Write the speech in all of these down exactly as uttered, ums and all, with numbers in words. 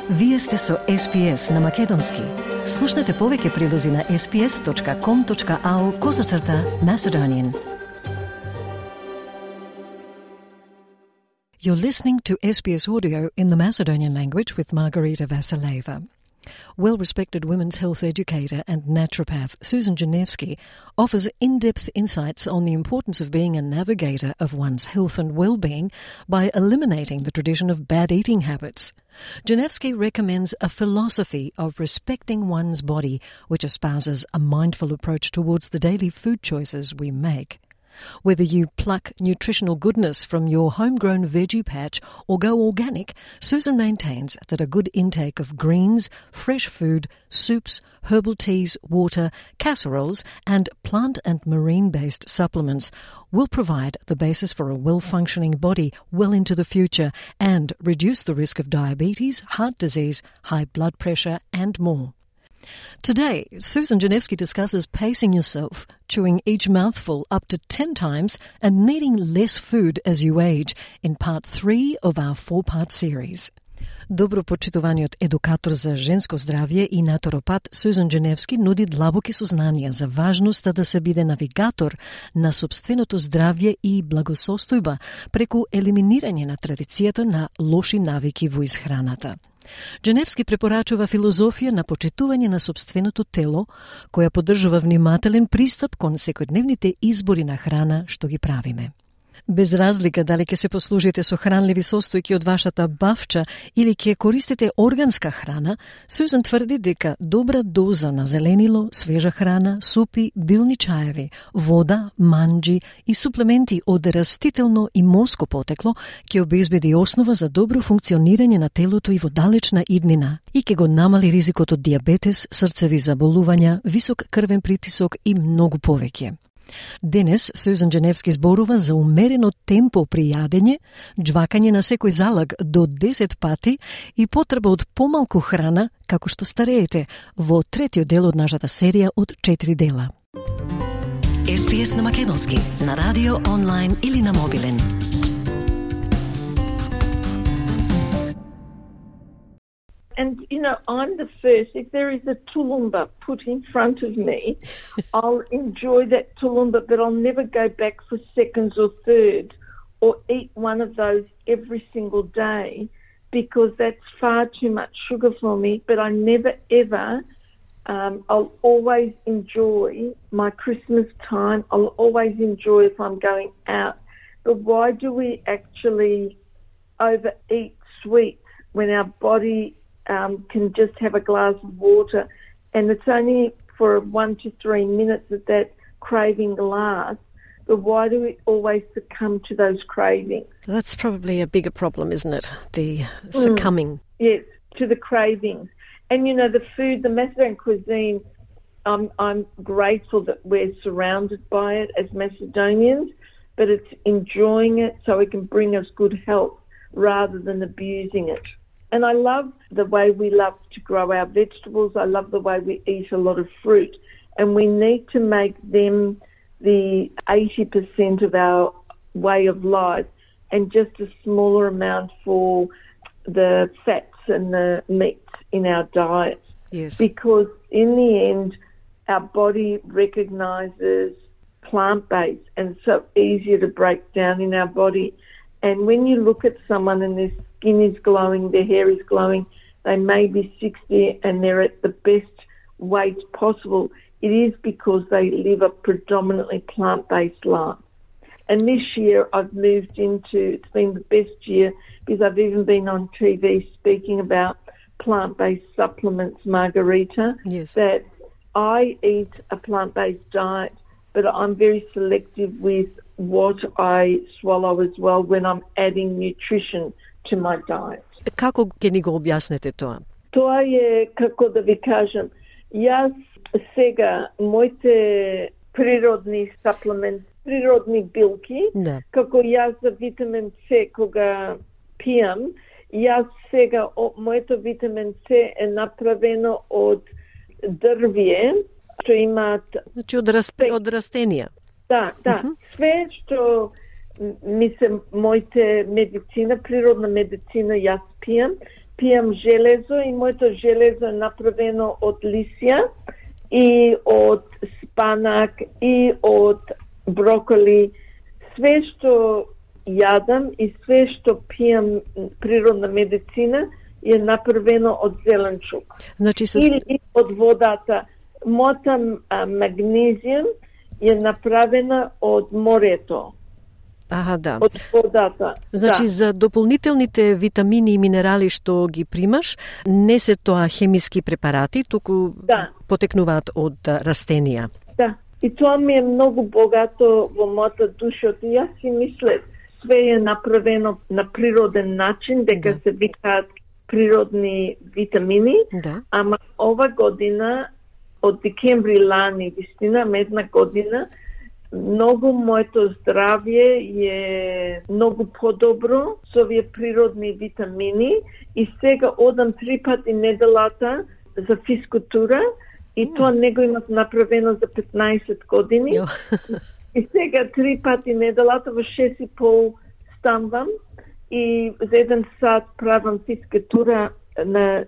Вие сте со Ес Би Ес на Македонски. Слушнете повеќе прилози на ес би ес точка ком точка ау козацрта Macedonian. You're listening to S B S Audio in the Macedonian language with Margarita Vasileva. Well-respected women's health educator and naturopath Susan Janevsky offers in-depth insights on the importance of being a navigator of one's health and well-being by eliminating the tradition of bad eating habits. Janevsky recommends a philosophy of respecting one's body, which espouses a mindful approach towards the daily food choices we make. Whether you pluck nutritional goodness from your homegrown veggie patch or go organic, Susan maintains that a good intake of greens, fresh food, soups, herbal teas, water, casseroles, and plant and marine-based supplements will provide the basis for a well-functioning body well into the future and reduce the risk of diabetes, heart disease, high blood pressure, and more. Today, Susan Janevsky discusses pacing yourself, chewing each mouthful up to ten times, and needing less food as you age in part three of our four-part series. Добро почитуваниот едукатор за женско здравје и натуропат Сузан Дженевски нуди длабоки сознанија за важноста да се биде навигатор на сопственото здравје и благосостојба преку елиминирање на традицијата на лоши навики во исхраната. Дженевски препорачува филозофија на почитување на сопственото тело, која поддржува внимателен пристап кон секојдневните избори на храна што ги правиме. Без разлика дали ќе се послужите со хранливи состојки од вашата бавча или ќе користите органска храна, Сузан тврди дека добра доза на зеленило, свежа храна, супи, билни чаеви, вода, манџи и суплементи од растително и морско потекло ќе обезбеди основа за добро функционирање на телото и во далечна иднина и ќе го намали ризикот од дијабетес, срцеви заболувања, висок крвен притисок и многу повеќе. Денес Сузан Дженевски зборува за умерено темпо при јадење, џвакање на секој залак до десет пати и потреба од помалку храна како што стареете во третиот дел од нашата серија од четири дела. Ес Би Ес на Македонски, на радио, онлайн или на мобилен. And, you know, I'm the first. If there is a tulumba put in front of me, I'll enjoy that tulumba, but I'll never go back for seconds or thirds or eat one of those every single day because that's far too much sugar for me. But I never, ever, um, I'll always enjoy my Christmas time. I'll always enjoy if I'm going out. But why do we actually overeat sweets when our body Um, can just have a glass of water, and it's only for one to three minutes that that craving lasts, but why do we always succumb to those cravings? That's probably a bigger problem, isn't it? The succumbing. Mm, yes, to the cravings. And, you know, the food, the Macedonian cuisine, um, I'm grateful that we're surrounded by it as Macedonians, but it's enjoying it so it can bring us good health rather than abusing it. And I love the way we love to grow our vegetables. I love the way we eat a lot of fruit. And we need to make them the eighty percent of our way of life and just a smaller amount for the fats and the meats in our diet. Yes. Because in the end, our body recognises plant-based and it's so easier to break down in our body. And when you look at someone and their skin is glowing, their hair is glowing, they may be sixty and they're at the best weight possible, it is because they live a predominantly plant-based life. And this year I've moved into, it's been the best year because I've even been on T V speaking about plant-based supplements, Margarita, yes. that I eat a plant-based diet, but I'm very selective with what I swallow as well when I'm adding nutrition to my diet. Како ќе ни го објаснете тоа? Тоа е, како да ви кажам, јас сега моите природни саплементи, природни билки, да. како јас за витамин С кога пијам, јас сега о, моето витамин С е направено од дрвје, што имаат... Значи од, раст... од растенија. Да, да. Uh-huh. Све што ми се моите медицина, природна медицина јас пијам, пијам железо и моето железо е направено од лисија и од спанак и од броколи. Све што јадам и све што пијам природна медицина е направено од зеленчук. Значи се... Или од водата. Мота магнезиум е направена од морето. Аха, да. Од водата. Значи, да. За дополнителните витамини и минерали што ги примаш, не се тоа хемиски препарати, туку да. Потекнуваат од растенија. Да, и тоа ми е многу богато во мојата душа. И јас си мислев, све е направено на природен начин, дека да. Се викаат природни витамини, да. Ама ова година, од декември лани, вистина, една година, многу моето здравје е многу подобро со овие природни витамини и сега одам три пати неделата за физкултура и mm. тоа не го имав направено за петнаесет години. И сега три пати неделата во шест и пол станвам и за еден сат правам физкултура на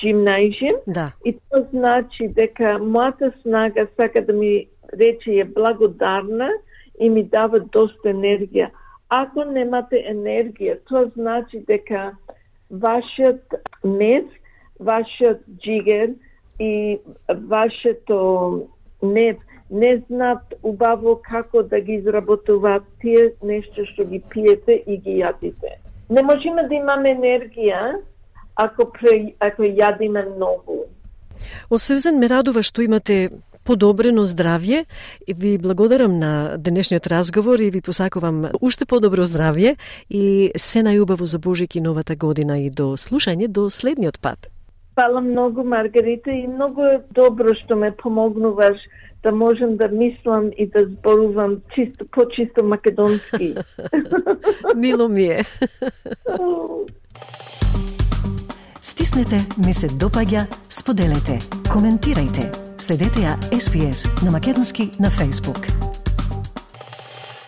гимназиум. Да. И тоа значи дека мојата снага сака да ми рече е благодарна и ми дава доста енергија. Ако немате енергија, тоа значи дека вашиот нерв, вашиот джигер и вашето нерв не знаат убаво како да ги изработуваат тие нешто што ги пиете и ги јадите. Не можеме да имаме енергија ако, пре, ако јадиме многу. Освен ме радува што имате подобрено здравје. Ви благодарам на денешниот разговор и ви посакувам уште подобро здравје и се најубаво за Божик и новата година и до слушање до следниот пат. Фала многу, Маргарита, и многу е добро што ме помогнуваш да можем да мислам и да зборувам чисто, почисто македонски. Мило ми е. Стиснете, ми се допаѓа, споделете, коментирајте. Следете ја Ес Би Ес на македонски на Facebook.